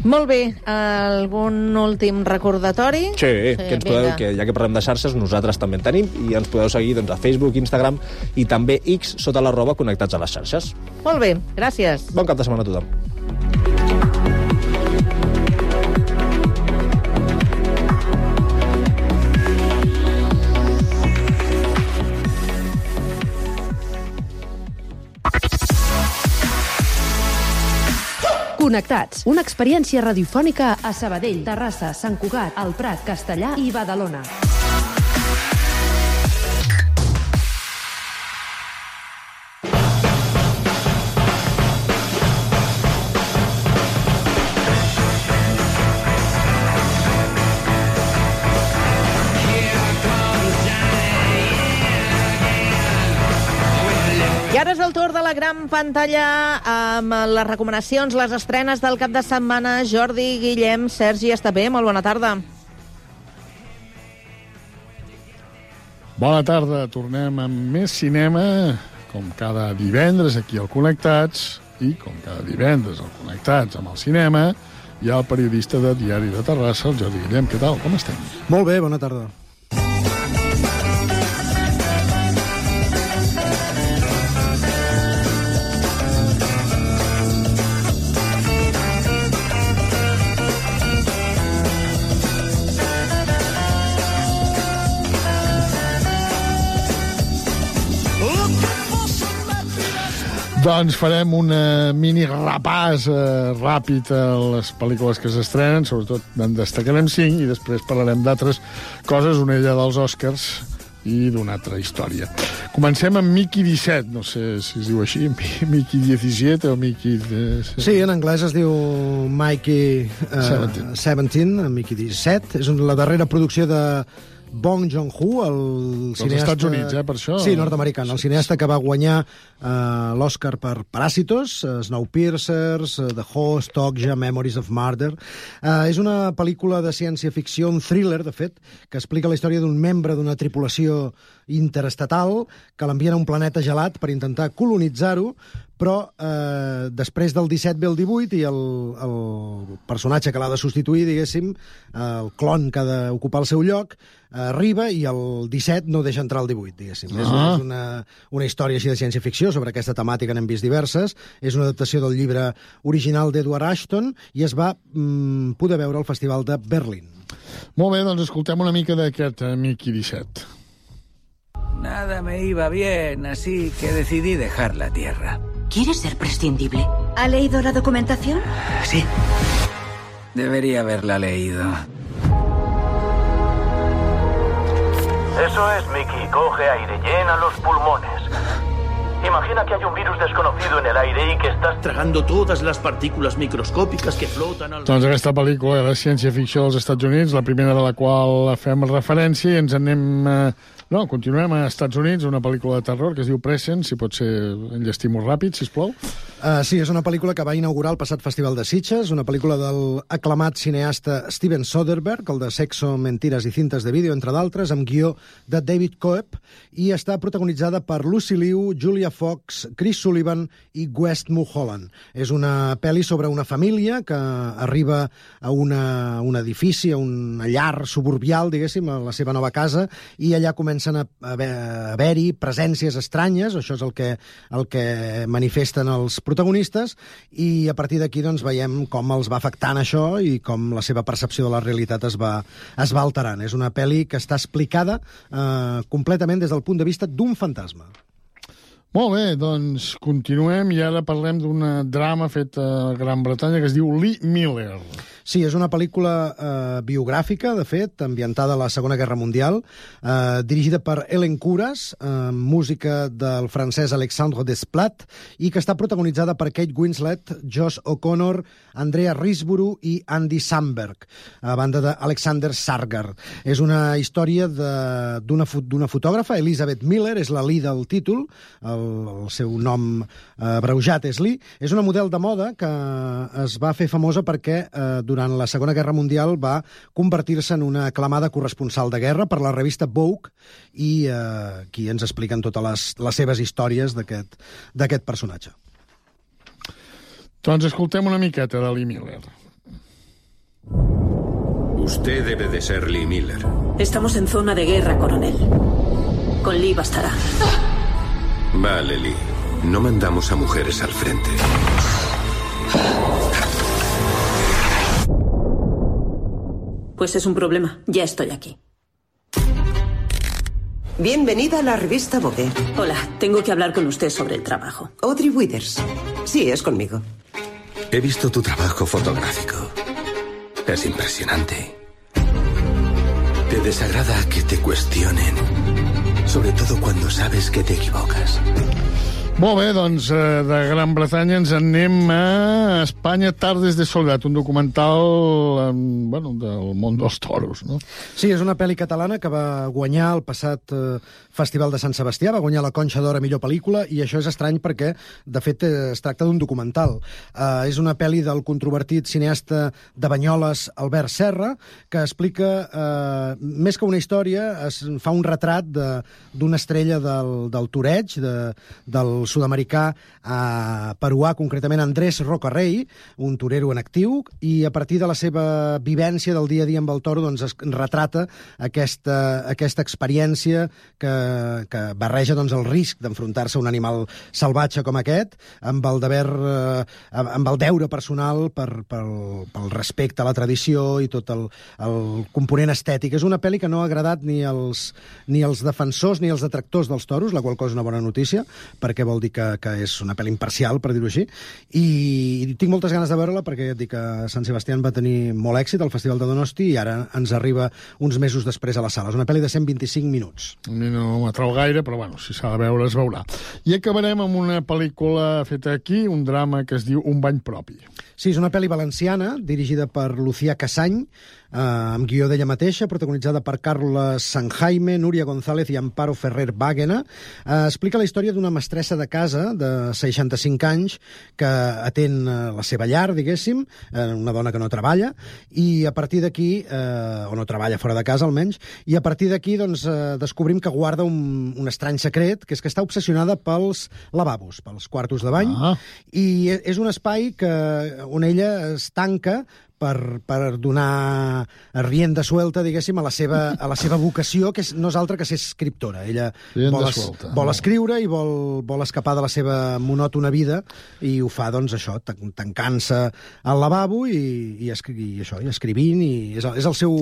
A: Molt bé, algun últim recordatori?
F: Sí, que ens podeu, que ja que parlem de xarxes, nosaltres també en tenim i ens podeu seguir doncs, a Facebook, Instagram i també X sota @connectats a les xarxes.
A: Molt bé, gràcies.
F: Bon cap de setmana a tothom.
D: Connectats, una experiència radiofònica a Sabadell, Terrassa, Sant Cugat, El Prat, Castellar i Badalona.
A: I ara és el torn de la gran pantalla amb les recomanacions, les estrenes del cap de setmana. Jordi, Guillem, Sergi, està bé? Molt bona tarda.
P: Bona tarda, tornem amb més cinema, com cada divendres aquí al Connectats, i com cada divendres al Connectats amb el cinema, hi ha el periodista de Diari de Terrassa, el Jordi Guillem. Què tal? Com estem?
Q: Molt bé, bona tarda.
P: Doncs farem un mini repàs ràpid a les pel·lícules que s'estrenen, sobretot en destacarem 5 i després parlarem d'altres coses, una d'elles dels Oscars i d'una altra història. Comencem amb Mickey 17, no sé si es diu així, Mickey 17 o Mickey...
Q: Sí, en anglès es diu Mickey 17, Mickey 17. És la darrera producció de Bong Joon-ho, el cineasta...
P: Dels Estats Units, per això?
Q: Sí, nord-americà. El cineasta que va guanyar l'Oscar per Parásitos, Snowpiercer, The Host, Okja, Memories of Murder. És una pel·lícula de ciència-ficció, un thriller, de fet, que explica la història d'un membre d'una tripulació interestatal que l'envien a un planeta gelat per intentar colonitzar-ho, però després del 17 ve el 18 i el personatge que l'ha de substituir, diguéssim, el clon que ha d'ocupar el seu lloc, arriba i el 17 no deixa entrar el 18, diguéssim. És una història així de ciència-ficció, sobre aquesta temàtica n'hem vist diverses. És una adaptació del llibre original d'Edward Ashton i es va poder veure al Festival de Berlín.
P: Molt bé, doncs escoltem una mica d'aquest Mickey 17.
R: Nada me iba bien, así que decidí dejar la Tierra.
S: ¿Quieres ser prescindible? ¿Ha leído la documentación?
R: Sí. Debería haberla leído.
T: Eso es, Mickey. Coge aire, llena los pulmones. Y Imagina que hay un virus desconocido en el aire y que estás tragando todas las partículas microscòpiques que floten al...
P: Doncs aquesta pel·lícula de ciència-ficció dels Estats Units, la primera de la qual fem referència, i ens anem... continuem a Estats Units, una pel·lícula de terror que es diu Present, si pot ser enllestim-ho ràpid, sisplau.
Q: Sí, és una pel·lícula que va inaugurar el passat Festival de Sitges, una pel·lícula del aclamat cineasta Steven Soderbergh, el de Sexo, Mentiras i Cintes de Vídeo, entre d'altres, amb guió de David Coeb, i està protagonitzada per Lucy Liu, Julia Fox, Chris Sullivan i West Mulholland. És una pel·li sobre una família que arriba a un edifici, a una llar suburbial, diguéssim, a la seva nova casa, i allà comencen a haver-hi presències estranyes, això és el que manifesten els protagonistes, i a partir d'aquí doncs, veiem com els va afectant això i com la seva percepció de la realitat es va alterant. És una pel·li que està explicada completament des del punt de vista d'un fantasma.
P: Molt bé, doncs continuem i ara parlem d'una drama fet a Gran Bretanya que es diu Lee Miller.
Q: Sí, és una pel·lícula biogràfica, de fet, ambientada a la Segona Guerra Mundial, dirigida per Ellen Kuras, música del francès Alexandre Desplat, i que està protagonitzada per Kate Winslet, Josh O'Connor, Andrea Riseborough i Andy Samberg, a banda d'Alexander Skarsgård. És una història d'una fotògrafa, Elizabeth Miller, és la Lee del títol, el seu nom abreujat és Lee. És una model de moda que es va fer famosa perquè durant la Segona Guerra Mundial va convertir-se en una aclamada corresponsal de guerra per la revista Vogue, i aquí ens expliquen totes les seves històries d'aquest personatge.
P: Doncs escoltem una miqueta de Lee Miller.
U: Usted debe de ser Lee Miller.
V: Estamos en zona de guerra, coronel. Con Lee bastará.
U: Vale, Lee. No mandamos a mujeres al frente.
V: Pues es un problema. Ya estoy aquí.
W: Bienvenida a la revista Vogue.
V: Hola, tengo que hablar con usted sobre el trabajo.
W: Audrey Withers. Sí, es conmigo.
U: He visto tu trabajo fotográfico. Es impresionante. ¿Te desagrada que te cuestionen? Sobre todo cuando sabes que te equivocas.
P: Molt bé, doncs de Gran Bretanya ens anem a Espanya, Tardes de Soledat, un documental del món dels toros, no?
Q: Sí, és una pel·li catalana que va guanyar el passat Festival de Sant Sebastià, va guanyar la Conxa d'Or a millor pel·lícula, i això és estrany perquè, de fet, es tracta d'un documental. És una pel·li del controvertit cineasta de Banyoles, Albert Serra, que explica, més que una història, es fa un retrat d'una estrella del toreig, del sud-americà peruà, concretament Andrés Rocarrey, un torero en actiu, i a partir de la seva vivència del dia a dia amb el toro doncs es retrata aquesta experiència que barreja doncs, el risc d'enfrontar-se a un animal salvatge com aquest, amb el deure personal pel respecte a la tradició i tot el component estètic. És una pel·li que no ha agradat ni als defensors ni als detractors dels toros, la qual cosa és una bona notícia, perquè vol dir que és una pel·li imparcial, per dir-ho així, i tinc moltes ganes de veure-la perquè et dic que Sant Sebastián va tenir molt èxit al Festival de Donosti i ara ens arriba uns mesos després a la sala. És una pel·li de 125 minuts.
P: A mi no m'atrau gaire, però bueno, si s'ha de veure es veurà. I acabarem amb una pel·lícula feta aquí, un drama que es diu Un bany propi.
Q: Sí, és una pel·li valenciana, dirigida per Lucía Casany, amb guió d'ella mateixa, protagonitzada per Carles Sanjaime, Núria González i Amparo Ferrer Bàguena. Explica la història d'una mestressa de casa de 65 anys que atén la seva llar, diguéssim, una dona que no treballa, i a partir d'aquí, o no treballa fora de casa almenys, i a partir d'aquí doncs, descobrim que guarda un estrany secret, que és que està obsessionada pels lavabos, pels quartos de bany, i és un espai on ella es tanca per donar rienda suelta, diguéssim, a la seva vocació, que no és altra que ser escriptora. Ella vol escriure i vol escapar de la seva monòtona vida, i ho fa, doncs, això, tancant-se al lavabo i escrivint, i és el seu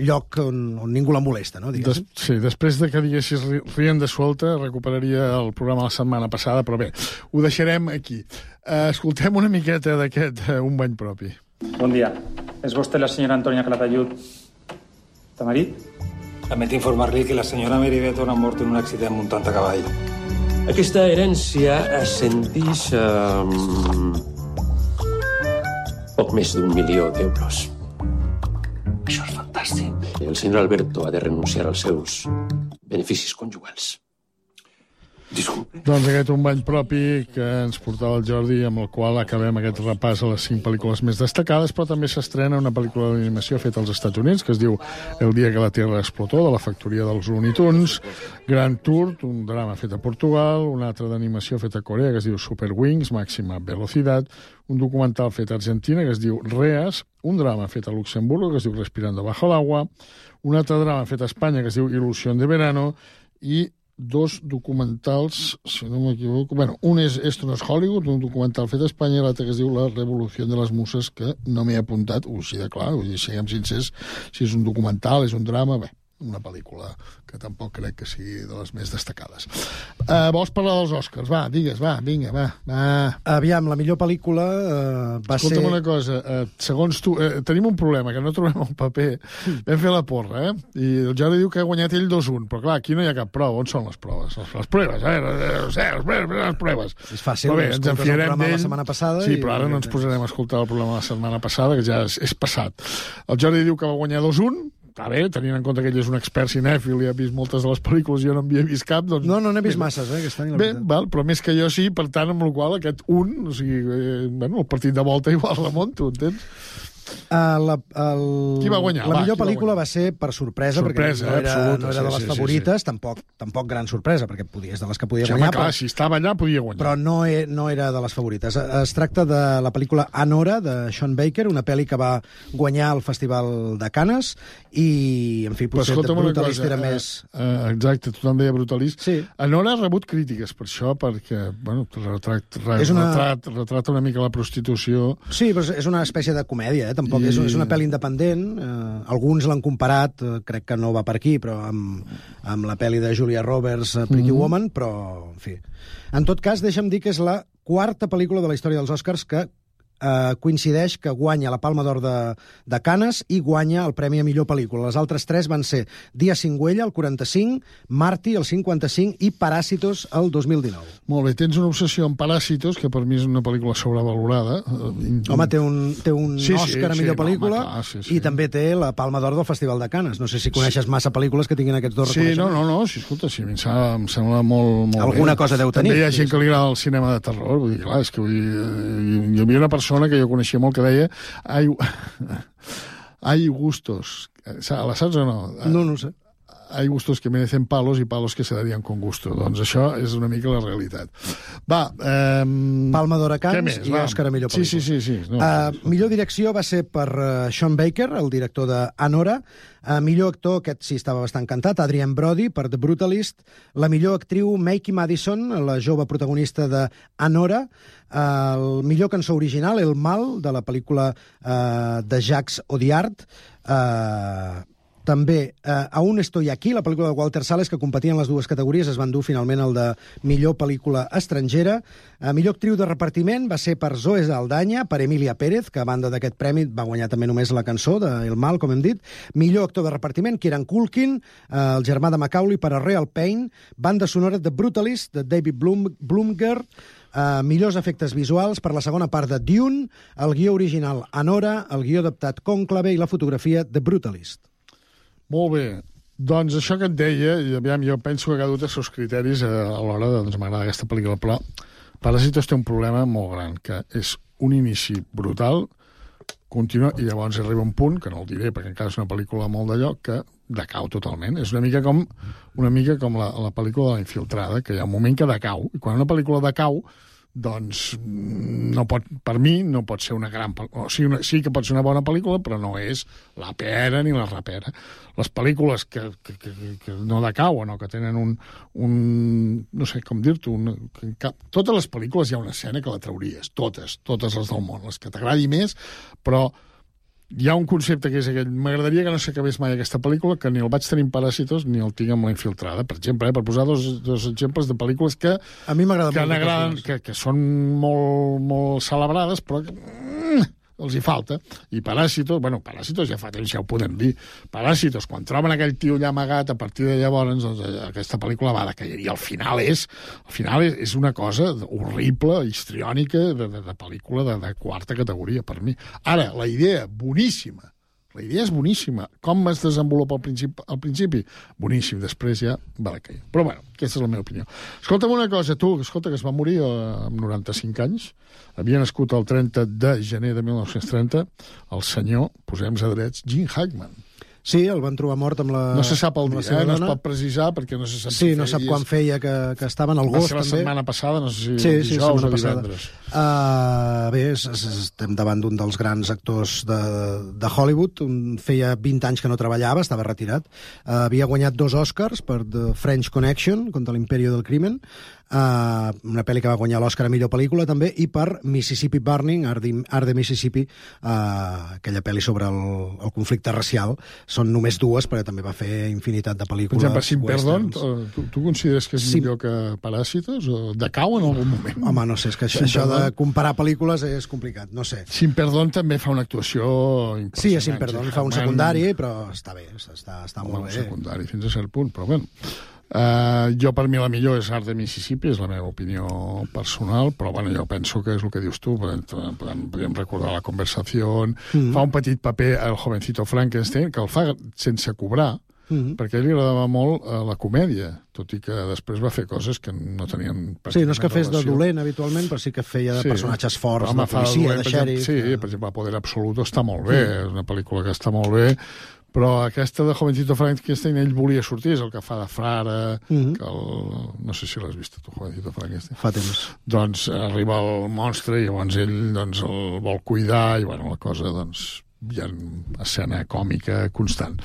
Q: lloc on ningú la molesta, no?
P: Sí, després de que diguessis rienda suelta, recuperaria el programa la setmana passada, però bé, ho deixarem aquí. Escoltem una miqueta d'aquest Un bany propi.
X: Bon dia. És vostè la senyora Antònia Calatayud Tamarit?
Y: Lamento informarle que la senyora Mary Beton ha mort en un accident muntant a cavall.
B: Aquesta herència ascendix a poc més d'1 milió d'euros. Això és fantàstic. El senyor Alberto ha de renunciar als seus beneficis conjugals. Disculpe.
P: Doncs aquest un bany propi que ens portava el Jordi, amb el qual acabem aquest repàs a les 5 pel·lícules més destacades, però també s'estrena una pel·lícula d'animació feta als Estats Units, que es diu El dia que la Tierra explotó, de la factoria dels Looney Tunes, Grand Tour, un drama fet a Portugal, una altra d'animació feta a Corea, que es diu Super Wings, Màxima Velocidad, un documental fet a Argentina, que es diu Reas, un drama fet a Luxemburgo, que es diu Respirando bajo el agua, un altre drama fet a Espanya, que es diu Ilusión de verano, i 2 documentals, si no m'equivoco... Bueno, un és Esto no es Hollywood, un documental fet a Espanya, i l'altre que es diu La revolució de les muses, que no m'he apuntat, així de clar, vull dir, siguem sincers, si és un documental, és un drama, bé, una pel·lícula que tampoc crec que sigui de les més destacades. Vols parlar dels Oscars? Va, digues, va, vinga, va.
Q: Aviam, la millor pel·lícula va ser...
P: Escolta'm una cosa, segons tu, tenim un problema, que no trobem el paper. Vam fer la porra, I el Jordi diu que ha guanyat ell 2-1, però clar, aquí no hi ha cap prova. On són les proves? Les proves, les proves.
Q: És fàcil,
P: però bé, ens enfiarem d'ell.
Q: La setmana passada.
P: Sí, però ara no ens posarem a escoltar el programa de la setmana passada, que ja és passat. El Jordi diu que va guanyar 2-1, està bé, tenint en compte que ell és un expert cinèfil i ha vist moltes de les pel·lícules i jo no n'havia vist cap, doncs...
Q: No n'he vist masses, aquest any, la
P: veritat. Bé, però més que jo sí, per tant, amb la qual aquest o sigui, el partit de volta igual remonto, entens? Qui va guanyar?
Q: La millor pel·lícula va ser per sorpresa, perquè no era de les favorites, tampoc gran sorpresa, perquè és de les que podia guanyar.
P: Clar, si estava allà podia guanyar.
Q: Però no era de les favorites. Es tracta de la pel·lícula Anora, de Sean Baker, una pel·li que va guanyar el Festival de Canes, i, en fi, potser Brutalist era més...
P: Exacte, tothom deia Brutalist. Sí. Anora ha rebut crítiques per això, perquè, bueno, retrata una mica la prostitució.
Q: Sí, però és una espècie de comèdia, tampoc és una pel·li independent. Alguns l'han comparat, crec que no va per aquí, però amb la pel·li de Julia Roberts, Pretty Woman, però, en fi. En tot cas, deixa'm dir que és la 4ª pel·lícula de la història dels Oscars que coincideix que guanya la Palma d'Or de Canes i guanya el Premi a Millor Pel·lícula. Les altres 3 van ser Dia Cingüella, el 45, Marty, el 55, i Parásitos, el 2019.
P: Molt bé, tens una obsessió amb Parásitos, que per mi és una pel·lícula sobrevalorada.
Q: Home, té un Òscar a Millor Pel·lícula, i també té la Palma d'Or del Festival de Canes. No sé si coneixes massa pel·lícules que tinguin aquests 2 reconeixements.
P: Sí, escolta, sí, em sembla molt
Q: alguna
P: bé.
Q: Cosa deu tenir.
P: També hi ha gent que li agrada el cinema de terror, vull dir, clar, és que hi havia una persona que jo coneixia molt que deia hay gustos. ¿La saps o no?
Q: No sé.
P: Hay gustos que merecen palos y palos que se darían con gusto. Doncs això és una mica la realitat. Va,
Q: Palma d'Or a Canes i Òscar a Millor Pel·lícula.
P: Sí.
Q: Millor direcció va ser per Sean Baker, el director de Anora. Millor actor, aquest sí estava bastant cantat, Adrien Brody, per The Brutalist. La millor actriu, Maiki Madison, la jove protagonista de Anora. El millor cançó original, El Mal, de la pel·lícula de Jacques Audiard. També Aún estoy aquí, la pel·lícula de Walter Salles, que competia en les 2 categories, es va endur finalment el de millor pel·lícula estrangera. Millor actriu de repartiment va ser per Zoe Saldana, per Emilia Pérez, que a banda d'aquest premi va guanyar també només la cançó de El Mal, com hem dit. Millor actor de repartiment, Kieran Culkin, el germà de Macaulay, per a Real Pain. Banda sonora de Brutalist, de David Blumger. Millors efectes visuals per la segona part de Dune, el guió original Anora, el guió adaptat Cònclave i la fotografia de Brutalist.
P: Molt bé. Doncs això que et deia, aviam, jo penso que cada un té els seus criteris a l'hora de, doncs m'agrada aquesta pel·lícula, però Parásitos té un problema molt gran, que és un inici brutal, continua, i llavors arriba un punt, que no el diré perquè encara és una pel·lícula molt d'allò, que decau totalment. És una mica com la pel·lícula de La Infiltrada, que hi ha un moment que decau, i quan una pel·lícula decau, doncs per mi no pot ser una gran pel·lícula. Sí que pot ser una bona pel·lícula, però no és la pera ni la rapera. Les pel·lícules que no decauen o que tenen no sé com dir-t'ho, totes les pel·lícules hi ha una escena que la trauries, totes les del món, les que t'agradi més, però hi ha un concepte que és aquell. M'agradaria que no s'acabés mai aquesta pel·lícula, que ni el vaig tenir en Paràsitos ni el tinc amb La Infiltrada, per exemple, per posar dos exemples de pel·lícules que
Q: a mi m'agraden,
P: que són molt, molt celebrades, però els hi falta. I Paràsitos ja fa temps, ja ho podem dir. Paràsitos, quan troben aquell tio allà amagat, a partir de llavors, doncs, aquesta pel·lícula va decair. I al final és una cosa horrible, histriònica, de pel·lícula de quarta categoria, per mi. Ara, la idea, boníssima. La idea és boníssima. Com es desenvolupa al principi? Boníssim. Després ja va decair. Però, bueno, aquesta és la meva opinió. Escolta'm una cosa, que es va morir amb 95 anys, havia nascut el 30 de gener de 1930, el senyor, posem-nos a drets, Gene Hackman.
Q: Sí, el van trobar mort amb la...
P: No se sap el dia, no es pot precisar perquè no se sap
Q: si feia. Sí, no sap quan feia que estava en el gos, també.
P: Va ser la setmana passada, no sé si dijous o divendres.
Q: Bé, estem davant d'un dels grans actors de Hollywood. Feia 20 anys que no treballava, estava retirat. Havia guanyat 2 Oscars per The French Connection, contra l'Imperio del Crimen, una pel·li que va guanyar l'Oscar a millor pel·lícula també, i per Mississippi Burning, Art de Mississippi, aquella pel·li sobre el conflicte racial. Són només 2, però també va fer infinitat de pel·lícules.
P: Per exemple, Sin Perdón, tu consideres que és millor que Paràsitos? O decau en algun moment?
Q: Home, no sé, és que això de comparar pel·lícules és complicat, no sé.
P: Sin Perdón també fa una actuació impressionant.
Q: Sí, a Sin Perdón fa un secundari, però està bé, està molt bé.
P: Un secundari, fins a cert punt, però bé. Jo, per mi, la millor és Art de Mississippi, és la meva opinió personal, però bueno, jo penso que és el que dius tu, podem recordar La Conversació, fa un petit paper el jovencito Frankenstein, que el fa sense cobrar, perquè a ell li agradava molt la comèdia, tot i que després va fer coses que no tenien pràcticament relació.
Q: Sí, no és que fes de dolent habitualment, però sí que feia de personatges forts, de policia, de xèrif.
P: Sí, per exemple, Poder Absoluto està molt bé, és una pel·lícula que està molt bé, però aquesta de Jovencito Frankenstein ell volia sortir, és el que fa de frare, que no sé si l'has vist tu, Jovencito Frankenstein.
Q: Fa temps.
P: Doncs arriba el monstre i llavors ell el vol cuidar i bueno, la cosa, doncs, hi ha escena còmica constant.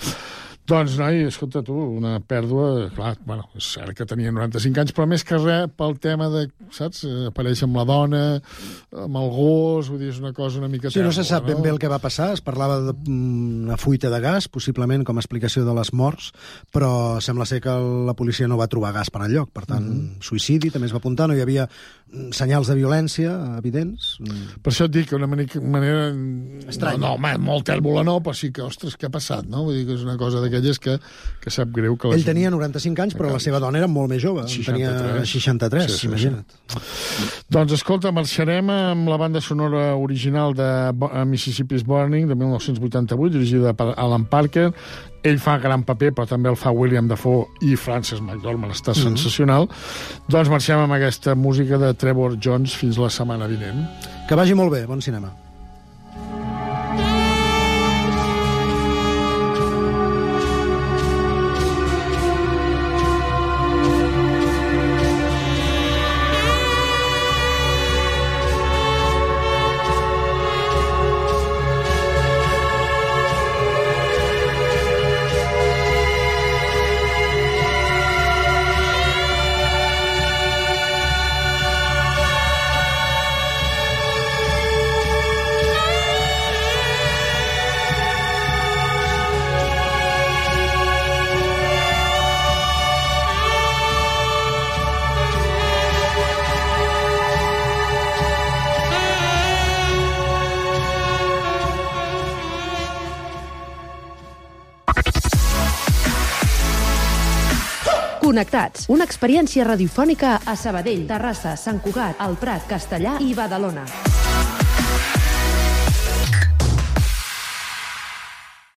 P: Doncs, noi, escolta tu, una pèrdua, clar, bueno, és cert que tenia 95 anys, però més que res pel tema de, saps, apareix amb la dona, amb el gos, vull dir, és una cosa una mica...
Q: Sí, no se sap ben bé el que va passar, es parlava d'una fuita de gas, possiblement com a explicació de les morts, però sembla ser que la policia no va trobar gas per enlloc, per tant, suïcidi també es va apuntar, no hi havia senyals de violència evidents.
P: Per això et dic que una manera...
Q: Estrany.
P: No, molt tèrbola no, però sí que, ostres, què ha passat, no? Vull dir que és una cosa d'aquelles que sap greu que...
Q: Ell tenia 95 anys, però la seva dona era molt més jove. Tenia 63, imagina't.
P: Doncs, escolta, marxarem amb la banda sonora original de Mississippi's Burning, de 1988, dirigida per Alan Parker. Ell fa gran paper, però també el fa William Dafoe i Frances McDormand, està sensacional. Doncs marxem amb aquesta música de Trevor Jones fins la setmana vinent.
Q: Que vagi molt bé, bon cinema.
D: Connectats, una experiència radiofònica a Sabadell, Terrassa, Sant Cugat, el Prat, Castellà i Badalona.